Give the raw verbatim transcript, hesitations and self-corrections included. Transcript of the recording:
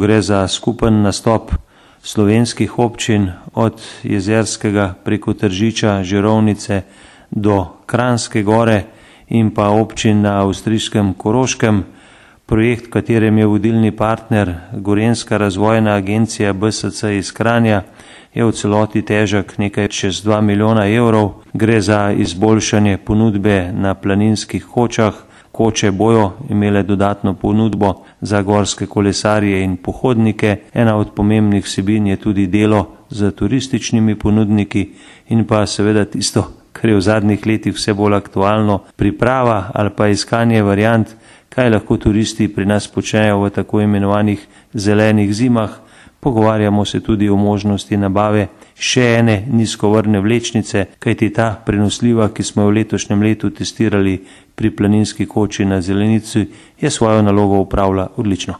Gre za skupen nastop slovenskih občin od Jezerskega preko Tržiča, Žirovnice do Kranjske Gore in pa občin na avstrijskem Koroškem. Projekt, v katerem je vodilni partner Gorenjska razvojna agencija B S C iz Kranja, je v celoti težak nekaj čez dva milijona evrov. Gre za izboljšanje ponudbe na planinskih kočah. Koče bojo imele dodatno ponudbo za gorske kolesarje in pohodnike. Ena od pomembnih vsebin je tudi delo z turističnimi ponudniki in pa seveda tisto, kar je v zadnjih letih vse bolj aktualno, priprava ali pa iskanje variant, kaj lahko turisti pri nas počnejo v tako imenovanih zelenih zimah. Pogovarjamo se tudi o možnosti nabave še ene nizkovrne vlečnice, kajti ta prenosljiva, ki smo jo v letošnjem letu testirali pri planinski koči na Zelenici, je svojo nalogo opravila odlično.